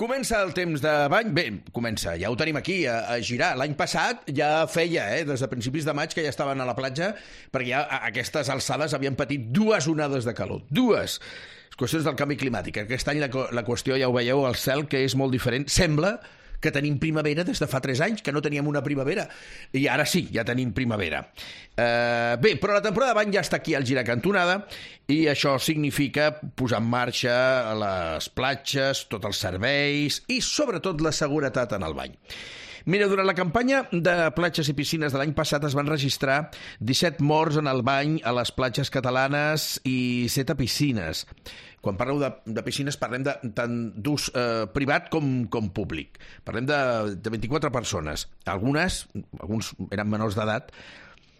Comença el temps de bany. Bé, comença, ja ho tenim aquí, a girar. L'any passat ja feia, des de principis de maig, que ja estaven a la platja, perquè ja a aquestes alçades havien patit 2 onades de calor. 2! Qüestions del canvi climàtic. Aquest any la qüestió, ja ho veieu, el cel, que és molt diferent. Sembla que tenim primavera des de fa 3 anys, que no teníem una primavera. I ara sí, ja tenim primavera. Bé, però la temporada de bany ja està aquí al girar cantonada i això significa posar en marxa les platges, tots els serveis i sobretot la seguretat en el bany. Mira, durant la campanya de platges i piscines de l'any passat es van registrar 17 morts en el bany a les platges catalanes i 7 a piscines. Quan parleu de piscines parlem tant d'ús privat com públic. Parlem de 24 persones. Alguns eren menors d'edat.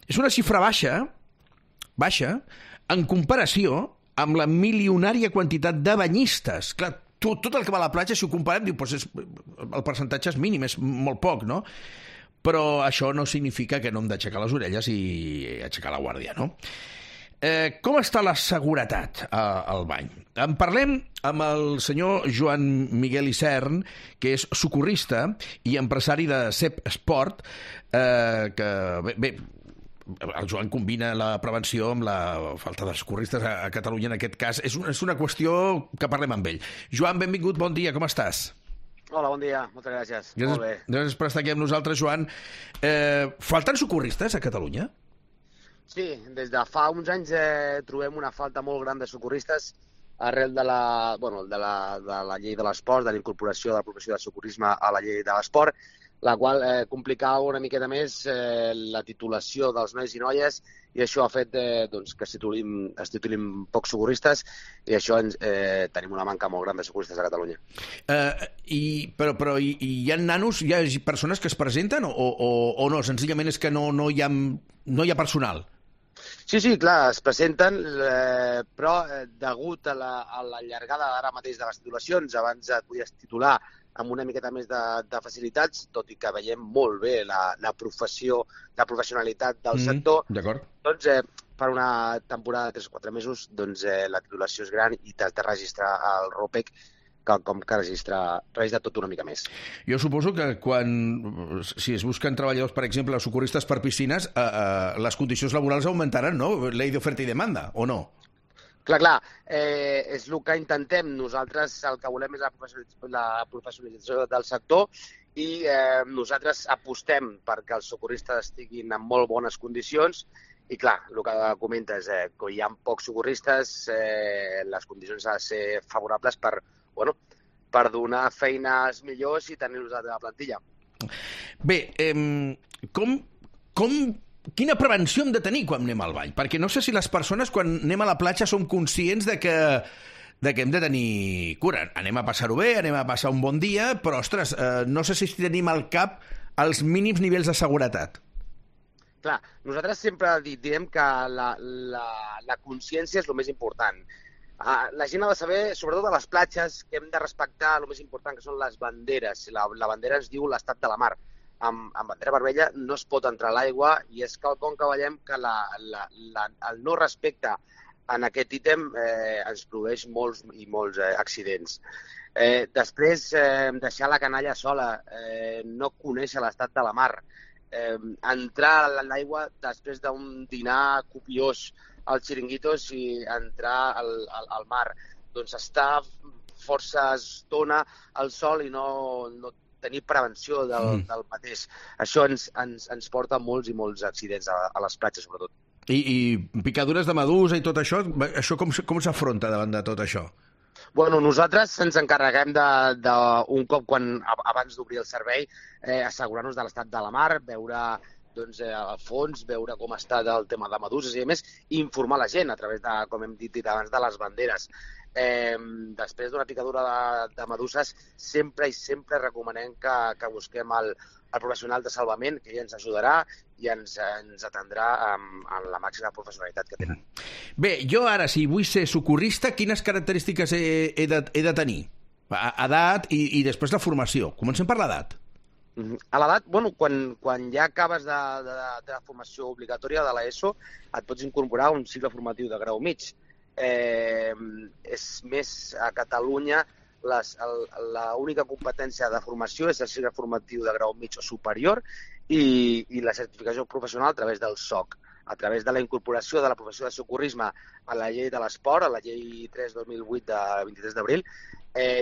És una xifra baixa, en comparació amb la milionària quantitat de banyistes. Clar, tot el que va a la platja, si ho comparem, diu, el percentatge és mínim, és molt poc, no? Però això no significa que no hem d'aixecar les orelles i aixecar la guàrdia, no? Com està la seguretat al bany? En parlem amb el senyor Joan Miguel Isern, que és socorrista i empresari de CEP Esport, que, bé, el Joan combina la prevenció amb la falta de socorristes a Catalunya en aquest cas. És una qüestió que parlem amb ell. Joan, benvingut, bon dia, com estàs? Hola, bon dia, moltes gràcies. Molt bé. Gràcies per estar aquí amb nosaltres, Joan. Falten socorristes a Catalunya? Sí, des de fa uns anys trobem una falta molt gran de socorristes arrel de la llei de l'esport, de la incorporació de la professió de socorrisme a la llei de l'esport, la qual complicava una miqueta més la titulació dels nois i noies i això ha fet que es titulin pocs socorristes i això tenim una manca molt gran de socorristes a Catalunya. Però hi ha nanos, hi ha persones que es presenten o no? Senzillament és que no hi ha personal? Sí, clar, es presenten, però degut a la llargada ara mateix de les titulacions, abans et podies titular amb una miqueta més de facilitats, tot i que veiem molt bé la professionalitat del sector, doncs per una temporada de 3 o 4 mesos la titulació és gran i t'has de registrar al ROPEC com que registra tot una mica més. Jo suposo que si es busquen treballadors, per exemple, socorristes per piscines, les condicions laborals augmentaran, no? Llei d'oferta i demanda, o no? Clar, és el que intentem. Nosaltres el que volem és la professionalització del sector i nosaltres apostem perquè els socorristes estiguin en molt bones condicions i clar, el que comentes, que hi ha pocs socorristes, les condicions han de ser favorables per donar feines millors i tenir-los a la plantilla. Bé, quina prevenció hem de tenir quan anem al bany? Perquè no sé si les persones quan anem a la platja som conscients de que hem de tenir cura. Anem a passar-ho bé, anem a passar un bon dia, però, ostres, no sé si tenim al cap els mínims nivells de seguretat. Clar, nosaltres sempre direm que la consciència és el més important. La gent ha de saber, sobretot a les platges, que hem de respectar el més important, que són les banderes. La bandera ens diu l'estat de la mar. Amb bandera vermella no es pot entrar a l'aigua i és quelcom que veiem que el no respecte en aquest ítem ens produeix molts i molts accidents. Després, deixar la canalla sola, no conèixer l'estat de la mar, entrar a l'aigua després d'un dinar copiós als xiringuitos i entrar al mar. Doncs estar força estona al sol i no tenir prevenció del mateix. Això ens porta molts i molts accidents a les platges, sobretot. I picadures de medusa i tot això com s'afronta davant de tot això? Bueno, nosaltres ens encarreguem d'un cop abans d'obrir el servei, assegurar-nos de l'estat de la mar, veure al fons, veure com està el tema de meduses i a més informar la gent a través de, com hem dit abans, de les banderes. Després d'una picadura de meduses, sempre recomanem que busquem el professional de salvament, que ell ens ajudarà i ens atendrà amb la màxima professionalitat que tenen. Bé, jo ara, si vull ser socorrista, quines característiques he de tenir? Edat i després la formació. Comencem per l'edat. A l'edat, quan ja acabes de la formació obligatòria de l'ESO, et pots incorporar a un cicle formatiu de grau mig. És més, a Catalunya l'única competència de formació és el cicle formatiu de grau mig o superior i la certificació professional a través del SOC, a través de la incorporació de la professió de socorrisme a la llei de l'esport, a la llei 3/2008 de 23 d'abril.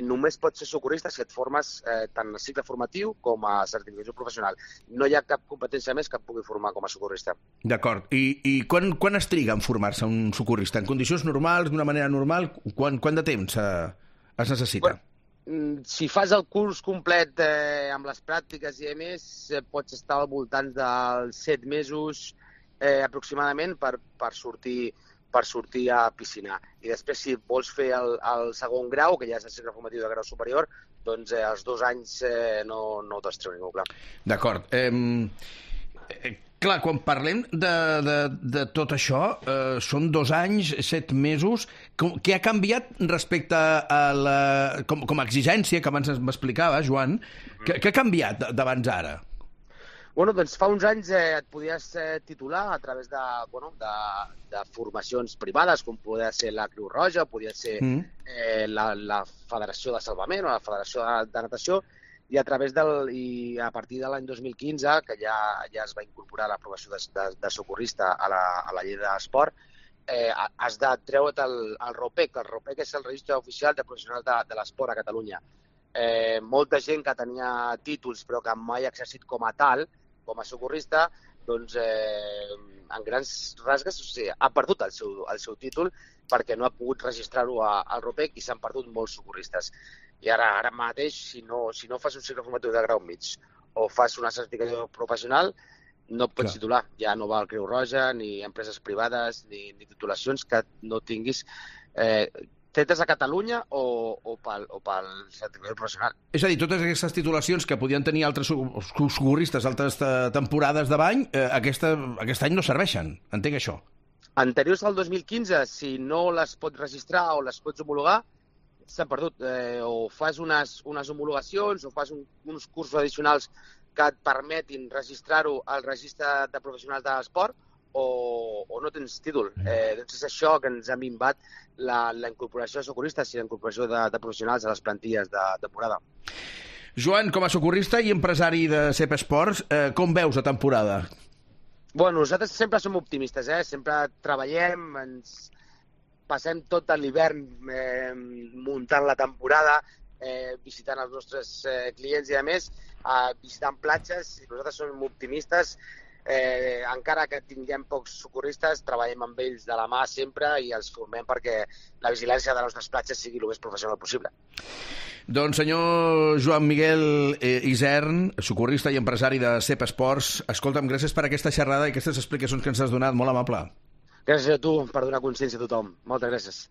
Només pots ser socorrista si et formes tant a cicle formatiu com a certificació professional. No hi ha cap competència més que et pugui formar com a socorrista. D'acord. I quan es triga en formar-se un socorrista? En condicions normals, d'una manera normal? Quant de temps es necessita? Si fas el curs complet amb les pràctiques i més, pots estar al voltant dels 7 mesos aproximadament per sortir a piscinar. I després, si vols fer el segon grau, que ja és el cicle formatiu de grau superior, doncs els 2 anys no te'ls treu ningú, clar. D'acord. Clar, quan parlem de tot això, són 2 anys, 7 mesos. Què ha canviat respecte a com a exigència, que abans m'explicava, Joan? Què ha canviat d'abans ara? Bueno, doncs fa uns anys et podies titular a través de formacions privades, com podia ser la Creu Roja, podia ser la Federació de Salvament o la Federació de Natació, i a partir de l'any 2015, que ja es va incorporar la professió de socorrista a la llei de l'esport, has de treure't el ROPEC. El ROPEC és el Registre Oficial de Professionals de l'Esport a Catalunya. Molta gent que tenia títols però que mai ha exercit com a tal, com a socorrista, doncs en grans rasgues ha perdut el seu títol perquè no ha pogut registrar-ho al ROPEC i s'han perdut molts socorristes. I ara mateix, si no fas un cicle formatiu de grau mig o fas una certificació professional, no et pots titular. Ja no va al Creu Roja, ni empreses privades, ni titulacions que no tinguis fetes a Catalunya o pel certificat professional. És a dir, totes aquestes titulacions que podien tenir altres socorristes altres temporades de bany, aquest any no serveixen. Entenc això. Anteriors al 2015, si no les pots registrar o les pots homologar, s'han perdut. O fas unes homologacions o fas uns cursos addicionals que et permetin registrar-ho al registre de professionals de l'esport o no tens títol. Doncs és això que ens ha minvat la incorporació de socorristes i la incorporació de professionals a les plantilles de temporada. Joan, com a socorrista i empresari de CEP Esports, com veus la temporada? Bueno, nosaltres sempre som optimistes, sempre treballem, ens passem tot l'hivern muntant la temporada, visitant els nostres clients i, a més, visitant platges. Nosaltres som optimistes. Encara que tinguem pocs socorristes, treballem amb ells de la mà sempre i els formem perquè la vigilància de les nostres platges sigui el més professional possible. Doncs senyor Joan Miguel Isern, socorrista i empresari de CEP Esports, escolta'm, gràcies per aquesta xerrada i aquestes explicacions que ens has donat, molt amable. Gràcies a tu per donar consciència a tothom. Moltes gràcies.